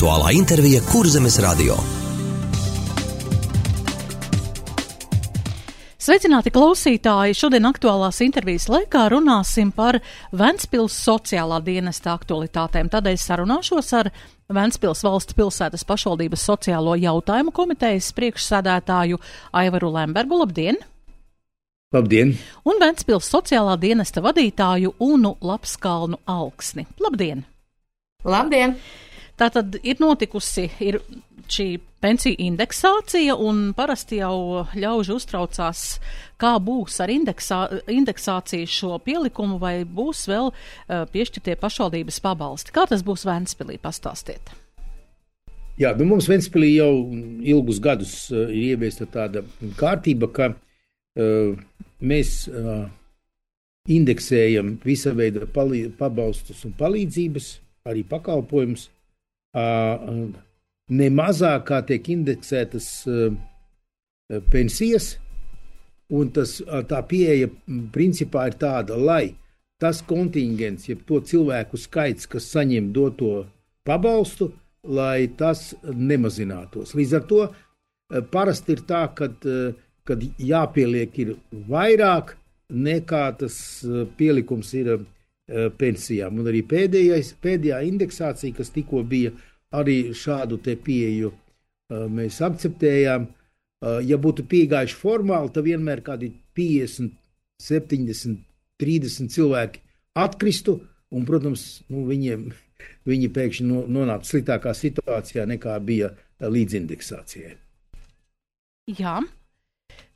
Aktuālā intervija Kurzemes radio. Sveicināti klausītāji! Šodien aktuālās intervijas laikā runāsim par Ventspils sociālā dienesta aktualitātēm. Tādēļ sarunāšos ar Ventspils valsts pilsētas pašvaldības sociālo jautājumu komitejas priekšsēdētāju Aivaru Lembergu. Labdien! Labdien! Un Ventspils sociālā dienesta vadītāju Unu Lapskalnu Alksni. Labdien! Labdien! Tātad ir notikusi šī pensiju indeksācija, un parasti jau ļauži uztraucās, kā būs ar indeksāciju šo pielikumu, vai būs vēl piešķirtie pašvaldības pabalsti. Kā tas būs Ventspilī? Pastāstiet. Jā, mums Ventspilī jau ilgus gadus ir ieviesta tāda kārtība, ka mēs indeksējam visa veida pabalstus un palīdzības, arī pakalpojumus. Ne mazāk kā tiek indeksētas pensijas, un tā pieeja principā ir tāda, lai tas kontingents, jeb to cilvēku skaits, kas saņem doto pabalstu, lai tas nemazinātos. Līdz ar to parasti ir tā, kad jāpieliek ir vairāk nekā tas pielikums ir pensijām. Un arī pēdējā indeksācija, kas tikko bija, arī šādu te pieeju mēs akceptējām. Ja būtu piegājuši formāli, tad vienmēr kādi 50, 70, 30 cilvēki atkristu, un, protams, viņi pēkšņi nonāktu sliktākā situācijā nekā bija līdz indeksācijai. Jā.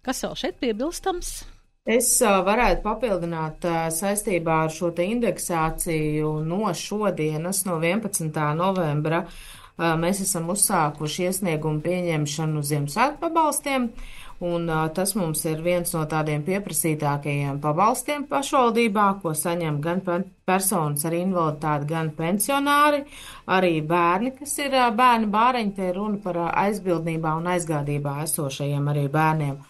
Kas vēl šeit piebilstams? Es varētu papildināt saistībā ar šo te indeksāciju no šodienas, no 11. novembra. Mēs esam uzsākuši iesniegumu pieņemšanu Ziemassvētku pabalstiem, un tas mums ir viens no tādiem pieprasītākajiem pabalstiem pašvaldībā, ko saņem gan personas ar invaliditāti, gan pensionāri, arī bērni, kas ir bērni bāreņi, te ir runa par aizbildnībā un aizgādībā esošajiem arī bērniem.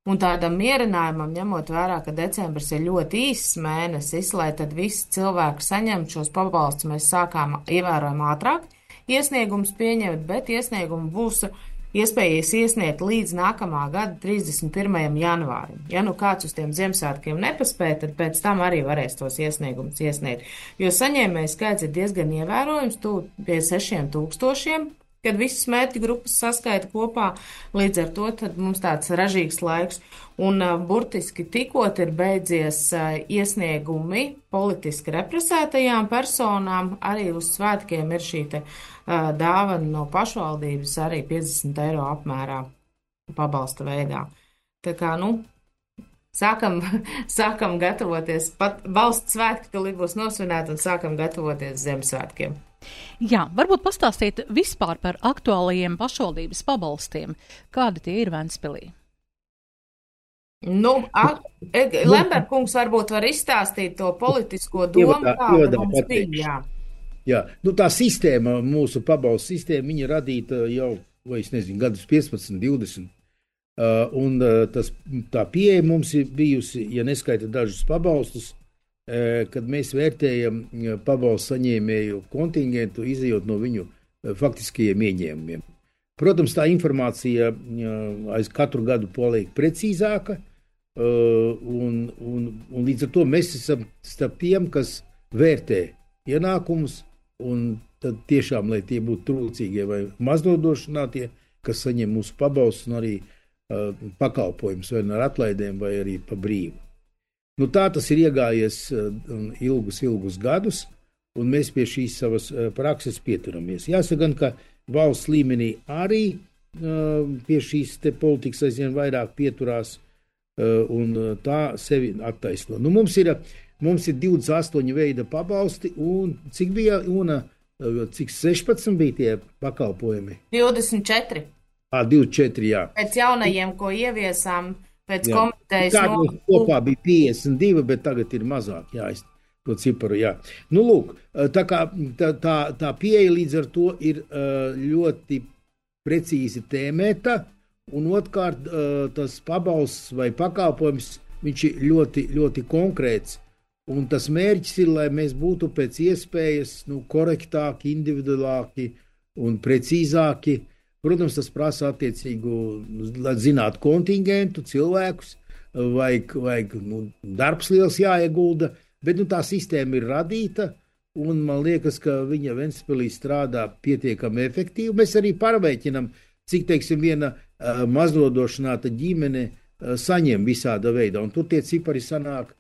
Un tādam mierinājumam, ņemot vērā, ka decembris ir ļoti īss mēnesis, lai tad visi cilvēki saņemtu šos pabalstus, mēs sākām ievērojami ātrāk iesniegums pieņemt, bet iesniegumu būs iespējas iesniegt līdz nākamā gada 31. janvārim. Ja nu kāds uz tiem Ziemassvētkiem nepaspēja, tad pēc tam arī varēs tos iesniegumus iesniegt. Jo saņēmēju skaits ir diezgan ievērojams, pie 6000. Kad visas mērķa grupas saskaita kopā, līdz ar to tad mums tāds ražīgs laiks. Un burtiski tikot ir beidzies iesniegumi politiski represētajām personām, arī uz svētkiem ir šī te dāvana no pašvaldības arī 50 eiro apmērā pabalsta veidā. Tā kā, sākam gatavoties, pat valsts svētki tūlīt būs nosvinēti un sākam gatavoties Ziemassvētkiem. Jā, varbūt pastāstiet vispār par aktuālajiem pašvaldības pabalstiem. Kādi tie ir Ventspilī? Lemberkungs varbūt var izstāstīt to politisko domu, kāda mums bija. Jā, tā sistēma, mūsu pabalstu sistēma, viņa radīta jau, vai es nezinu, gadus 15, 20. Un tā pieeja mums ir bijusi, ja neskaita dažus pabalstus, kad mēs vērtējam pabalstu saņēmēju kontingentu, izejot no viņu faktiskajiem ieņēmumiem. Protams, tā informācija aiz katru gadu paliek precīzāka, un līdz ar to mēs esam starp tiem, kas vērtē ienākumus, un tad tiešām, lai tie būtu trūcīgie vai maznodošanātie, kas saņem mūsu pabalstus un arī pakalpojumus vai ar atlaidēm vai arī pa brīvu. Tā tas ir iegājies ilgus gadus, un mēs pie šīs savas prakses pieturamies. Jāsaka gan, ka valsts līmenī arī pie šīs te politikas aizvien vairāk pieturās, un tā sevi attaisno. Mums ir 28 veida pabalsti, un cik bija, cik 16 bija tie pakalpojumi? 24. 24, jā. Pēc jaunajiem, ko ieviesām, pēc komitejas nolūku. Kopā bija 52, bet tagad ir mazāk, to ciparu, jā. Lūk, tā pieeja līdz ar to ir ļoti precīzi tēmēta, un otrkārt tas pabalsts vai pakalpojums, viņš ir ļoti, ļoti konkrēts, un tas mērķis ir, lai mēs būtu pēc iespējas korektāki, individuālāki un precīzāki. Protams, tas prasa attiecīgu, lai zinātu kontingentu, cilvēkus, vajag darbs liels jāiegulda, bet tā sistēma ir radīta, un man liekas, ka viņa Ventspilī strādā pietiekami efektīvi. Mēs arī pārveiķinam, cik, teiksim, viena maznodošanāta ģimene saņem visāda veidā, un tur tie cipari sanāk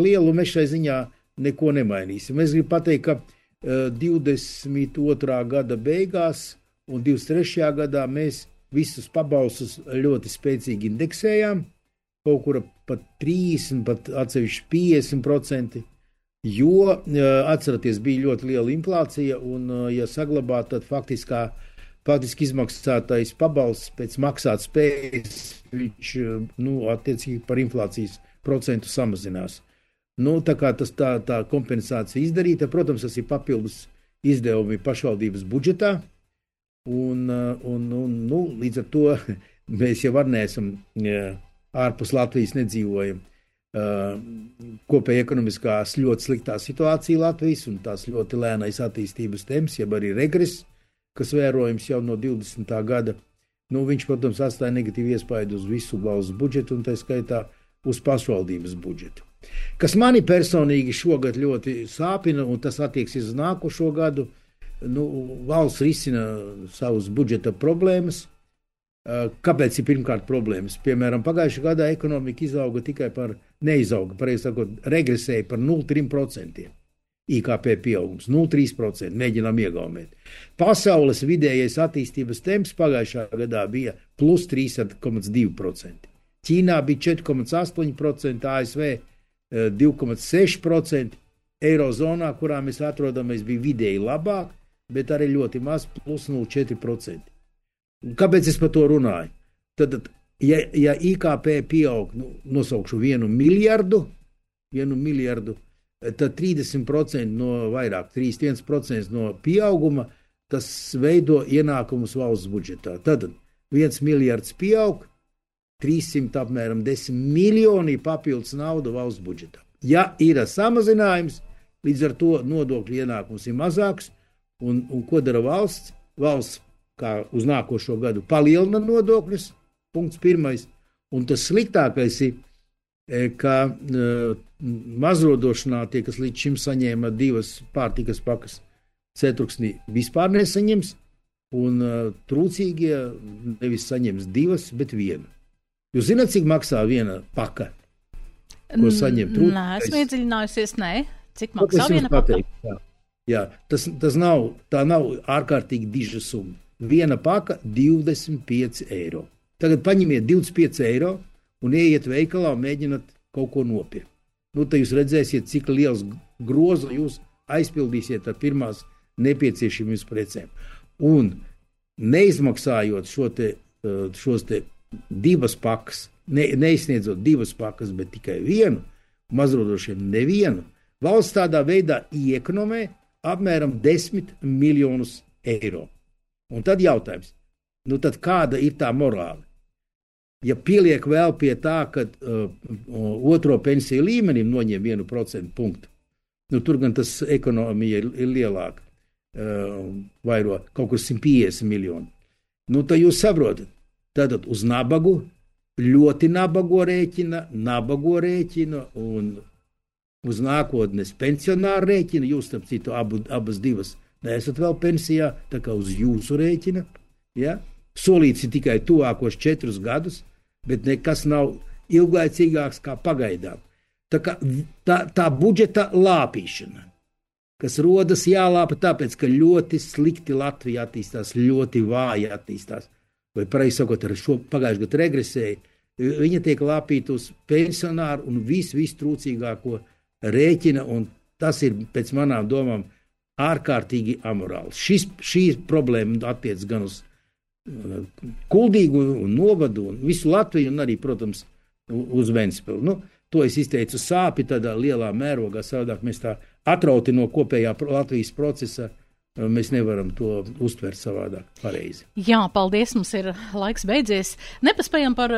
lieli, un mēs šai ziņā neko nemainīsim. Es gribu pateikt, ka 22. gada beigās un 23. gadā mēs visus pabalstus ļoti spēcīgi indeksējām, kaut kur pat 30%, pat atsevišķi 50%, jo, atceraties, bija ļoti liela inflācija, un, ja saglabāt, tad faktiski izmaksātais pabalsts pēc maksāt spējas, viņš, attiecīgi par inflācijas procentu samazinās. Tā kā tā kompensācija izdarīta, protams, tas ir papildus izdevumi pašvaldības budžetā, un līdz ar to mēs jau neesam ārpus Latvijas nedzīvojam. Kopēja ekonomiskās ļoti sliktā situācija Latvijas un tās ļoti lēnais attīstības temps, jeb arī regress, kas vērojams jau no 20. gada. Viņš, protams, atstāja negatīvu iespaidu uz visu valsts budžetu un tā skaitā uz pašvaldības budžetu. Kas mani personīgi šogad ļoti sāpina, un tas attieksies uz nākošo gadu, valsts risina savus budžeta problēmas. Kāpēc ir pirmkārt problēmas? Piemēram, pagājušajā gadā ekonomika regresēja par 0,3%. IKP pieaugums 0,3%, mēģinām iegaumēt. Pasaules vidējais attīstības temps pagājušā gadā bija plus 3,2%. Ķīnā bija 4,8%, ASV 2,6%, Eirozonā, kurā mēs atrodamies, bija vidēji labāk, bet arī ļoti maz plus 0,4%. Kāpēc es par to runāju? Tad, ja IKP pieaug, nosaukšu 1 miljardu, tad 30% no vairāk, 31% no pieauguma, tas veido ienākumus valsts budžetā. Tad 1 miljards pieaug, 300 apmēram 10 miljoni papildus nauda valsts budžetā. Ja ir samazinājums, līdz ar to nodokļu ienākums ir mazāks, un ko dara valsts? Valsts, kā uz nākošo gadu, palielina nodokļus, punkts 1. Un tas sliktākais ir, ka mazrodošanātie, kas līdz šim saņēma 2 pārtikas pakas ceturksnī, vispār nesaņems, un trūcīgie nevis saņems 2, bet 1. Jūs zināt, cik maksā viena paka, ko saņem trūcīgais? Nē, esmu iedziļinājusies, cik maksā viena paka? Jā, tā nav ārkārtīgi diža summa. Viena paka 25 eiro. Tagad paņemiet 25 eiro un ieiet veikalā un mēģināt kaut ko nopirkt. Tad jūs redzēsiet, cik liels grozu jūs aizpildīsiet ar pirmās nepieciešamības precēm. Un neizmaksājot šos te 2 pakas, neizsniedzot 2 pakas, bet tikai 1, mazrodošiem nevienu, valsts tādā veidā iekonomē apmēram 10 miljonus eiro. Un tad jautājums, tad kāda ir tā morāla? Ja pieliek vēl pie tā, ka otro pensiju līmenim noņem 1% punktu, tur gan tas ekonomija ir lielāka, vairo kaut kur 150 miljoni. Tad jūs saprotat, tātad uz nabagu, ļoti nabago rēķina un uz nākotnes pensionāru rēķina, jūs, starp citu, abas divas neesat vēl pensijā, tā kā uz jūsu rēķina, ja? Solīts ir tikai tuvākos 4 gadus, bet nekas nav ilglaicīgāks kā pagaidām. Tā budžeta lāpīšana, kas rodas jālāpa tāpēc, ka ļoti slikti Latvija attīstās, ļoti vāji attīstās, vai pareizi sakot, ar šo pagājušajā gadā regresēja, viņa tiek lāpīta uz pensionāru un visu trūcīgāko rēķina, un tas ir pēc manām domām ārkārtīgi amorāls. Šī problēma attiec gan uz Kuldīgu un Novadu un visu Latviju un arī, protams, uz Ventspili. To es izteicu sāpi tādā lielā mērogā, savādāk mēs tā atrauti no kopējā Latvijas procesa mēs nevaram to uztvert savādāk pareizi. Jā, paldies, mums ir laiks beidzies. Nepaspējam par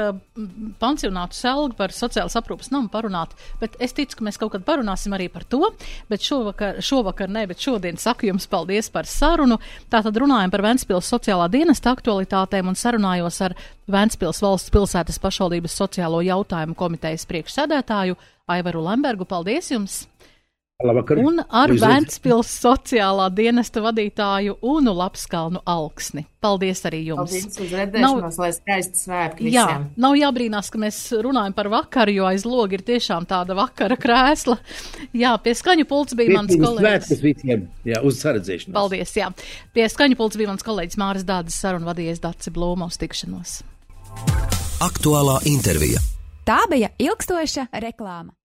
pansionātu Selgu, par sociālas aprūpas namu parunāt, bet es ticu, ka mēs kaut kad parunāsim arī par to, bet šovakar ne, bet šodien saku jums paldies par sarunu. Tātad runājam par Ventspils sociālā dienesta aktualitātēm un sarunājos ar Ventspils valsts pilsētas pašvaldības sociālo jautājumu komitejas priekšsēdētāju Aivaru Lembergu. Paldies jums! Labvakar. Un ar Ventspils sociālā dienesta vadītāju Unu Lapskalnu Alksni. Paldies arī jums. Paldies uz redzēšanos, lai skaisti svētki visiem. Jā, nav jābrīnās, ka mēs runājam par vakaru, jo aiz loga ir tiešām tāda vakara krēsla. Jā, pie skaņu pults bija mans kolēģis. Svētkus visiem, jā, uz saredzēšanos. Paldies, jā. Pie skaņu pults bija mans kolēģis Māris Dādzis, sarunu vadījies Daci Blūma, uz tikšanos. Aktuālā intervija. Tā bija ilgstoša reklāma.